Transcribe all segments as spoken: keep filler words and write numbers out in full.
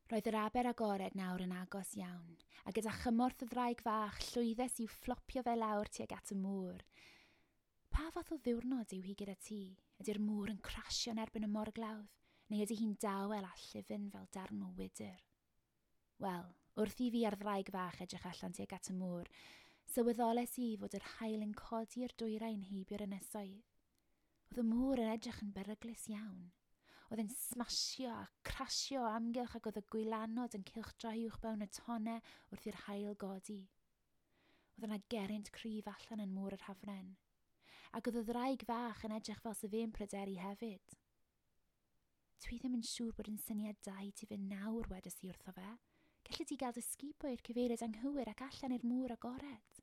Roedd yr aber agored nawr yn agos iawn, a gyda chymorth y ddraig fach llwyddes i'w fflopio fe lawr tuag at y môr. Pa fath o ddiwrnod yw hi gyda ti? Ydy'r môr yn crasio yn erbyn y morglawdd, neu ydy hi'n dawel a llyfn fel darn o wydr? Wel, wrth i fi a'r ddraig fach edrych allan tuag at y môr, sylweddoles i fod yr haul yn codi i'r dwyrain heibio'r ynysoedd. Oedd y môr yn edrych yn beryglus iawn. Oedd e'n smasio a crasio o amgylch ac oedd y gwylanod yn cylchdroi uwchben y tonnau wrth i'r haul godi. Oedd yna gerrynt cryf allan yn môr yr Hafren. Ac oedd y ddraig fach yn edrych fel 'sa fe'n pryderu hefyd. Dwi ddim yn siŵr bod yn syniad da i ti fynd nawr, wedes i wrtho fe. Gelli di gael dy sgubo i'r cyfeiriad anghywir ac allan i'r môr agored.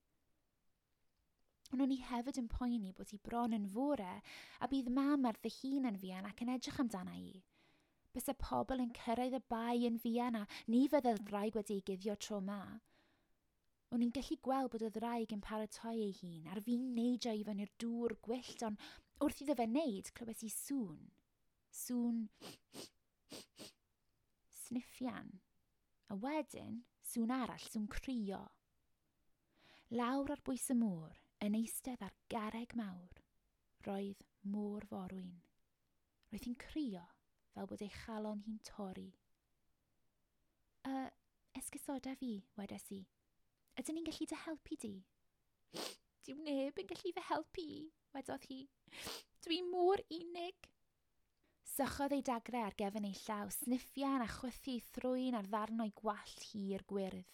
Ond o'n i hefyd yn poeni bod hi bron yn fore a bydd mam ar ddihun yn fuan ac yn edrych amdana i. Byse pobl yn cyrraedd y bae yn fuan a ni fydde'r ddraig wedi ei guddio tro 'ma. O'n i'n gallu gweld bod y ddraig yn paratoi ei hun ar fin neidio i fyny'r dŵr gwyllt, ond wrth iddo fe wneud, clywes i sŵn. Sŵn sniffian. A wedyn, sŵn arall, sŵn crio. Lawr ar bwys y môr, yn eistedd ar garreg mawr, roedd môr forwyn. Roedd hi'n crio fel bod ei chalon hi'n torri. "Uh, esgusoda fi," wedes i. "Ydyn ni'n gallu dy helpu di?" "Dyw neb yn gallu fy helpu i," wedodd hi. "Dwi mor unig." Sychodd ei dagrau ar gefn ei llaw, sniffian a chwythu ei thrwyn ar ddarn o'i gwallt hir gwyrdd.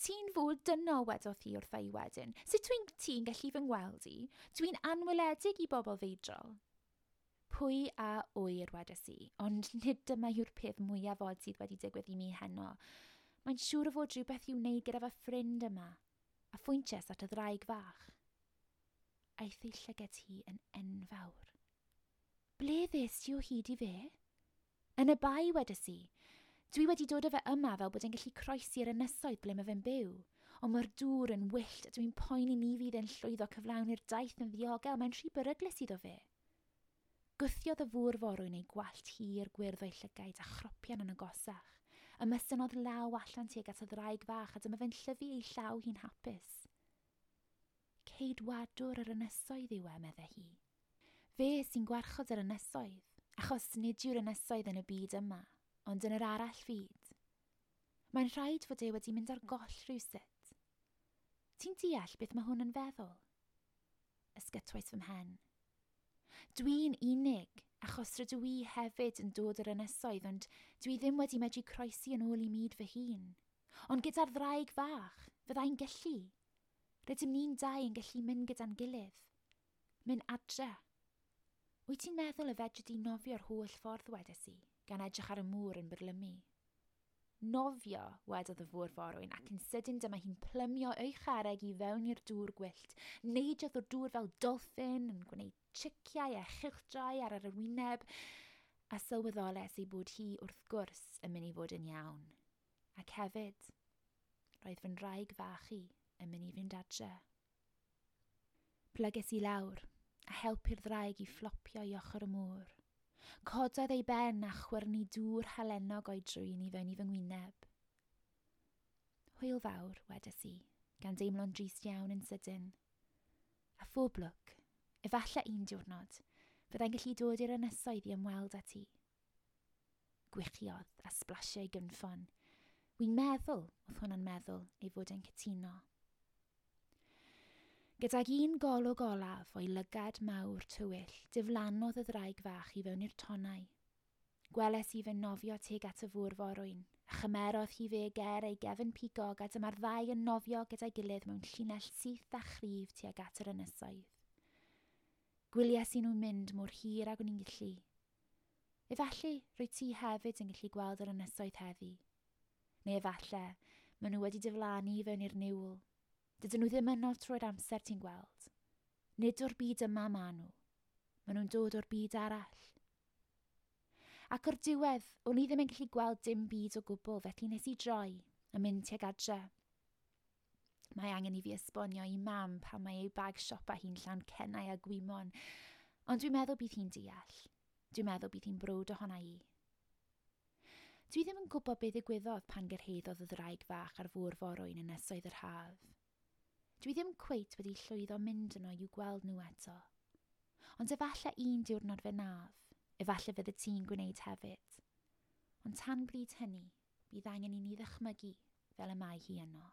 "Ti'n fod dynol," wedodd hi wrtha i wedyn. "Sut wyt ti'n gallu fy ngweld i? Dwi'n anweledig i bobl feidrol." "Pwy a ŵyr," wedes i, "ond nid dyma yw'r peth mwyaf od sydd wedi digwydd i mi heno. Mae'n siŵr o fod rhywbeth i'w wneud gyda fy ffrind yma," a phwyntiais at y ddraig fach. Aeth ei llygad hi yn enfawr. "Ble ddes ti o hyd i fe?" "Yn y bae," wedes i. "Dwi wedi dod â fe yma fel bod e'n gallu croesi'r ynysoedd ble mae fe'n byw. Ond mae'r dŵr yn wyllt a dwi'n poeni ni fydd e'n llwyddo cyflawni'r daith yn ddiogel. Mae'n rhy beryglus iddo fe." Gwthiodd y fôr forwyn ei gwallt hir gwyrdd o'i llygaid a chropian yn agosach. Ymestynnodd law allan tuag at y ddraig fach a dyma fe'n llyfu ei llaw hi'n hapus. "Ceidwadwr yr ynysoedd yw e," medde hi. "Fe sy'n gwarchod yr ynysoedd, achos nid yw'r ynysoedd yn y byd yma, ond yn yr arall fyd. Mae'n rhaid fod e wedi mynd ar goll rhywsut. Ti'n deall beth mae hwn yn feddwl?" Ysgytwais fy mhen. "Dwi'n unig, achos rydw i hefyd yn dod o'r ynysoedd, ond dwi ddim wedi medru croesi yn ôl i myd fy hun. Ond gyda'r ddraig fach, fyddai'n gallu. Rydym ni'n dau yn gallu mynd gyda'n gilydd. Mynd adre. Wyt ti'n meddwl y fedri di nofio'r holl ffordd?" wedes i, gan edrych ar y môr yn byrlymu. "Nofio," wedodd y fôr forwyn, ac yn sydyn dyma hi'n plymio ei charreg i fewn i'r dŵr gwyllt. Neidiodd o'r dŵr fel dolffin, yn gwneud triciau a chylchdroi ar yr wyneb, a sylweddoles ei bod hi wrth gwrs yn mynd i fod yn iawn. Ac hefyd, roedd fy nraig fach i yn mynd i fynd adre. Plyges i lawr a helpu'r ddraig i fflopio i ochr y môr. Cododd ei ben a chwyrnu dŵr halenog o'i drwyn i fewn i fy ngwyneb. "Hwyl fawr," wedes i, gan deimlo'n drist iawn yn sydyn. "A phob lwc, efallai un diwrnod, fyddai'n gallu dod i'r ynysoedd i ymweld â ti." Gwichiodd a sblasio ei gynffon. Wi'n meddwl, oedd hwnna'n meddwl, ei fod e'n cytuno. Gydag un golwg olaf o'i lygad mawr tywyll, diflannodd y ddraig fach i fewn i'r tonnau. Gweles i fe'n nofio tuag at y fôr forwyn, a chymerodd hi fe ger ei gefn pigog a dyma'r ddau yn nofio gyda'i gilydd mewn llinell syth a chryf tuag at yr ynysoedd. Gwylies i nhw'n mynd mor hir ag o'n i'n gallu. Efallai rwyt ti hefyd yn gallu gweld yr ynysoedd heddi. Neu efallai, maen nhw wedi diflannu i fewn i'r niwl. Dydyn nhw ddim yno trwy'r amser ti'n gweld. Nid o'r byd yma maen nhw. Maen nhw'n dod o'r byd arall. Ac o'r diwedd, o'n i ddim yn gallu gweld dim byd o gwbl, felly nes i droi a mynd tuag adre. Mae angen i fi esbonio i mam pam mae ei bag siopa hi'n llawn cennau a gwymon, ond dwi'n meddwl bydd hi'n deall. Dwi'n meddwl bydd hi'n browd ohona i. Dwi ddim yn gwybod beth ddigwyddodd pan gyrhaeddodd y ddraig fach ar fôr forwyn yn ynysoedd yr haf. Dwi ddim cweit wedi llwyddo mynd yno i'w gweld nhw eto. Ond efallai un diwrnod fe wnaf, efallai fyddi ti'n gwneud hefyd. Ond tan bryd hynny, bydd angen i ni ddychmygu fel y mae hi yno.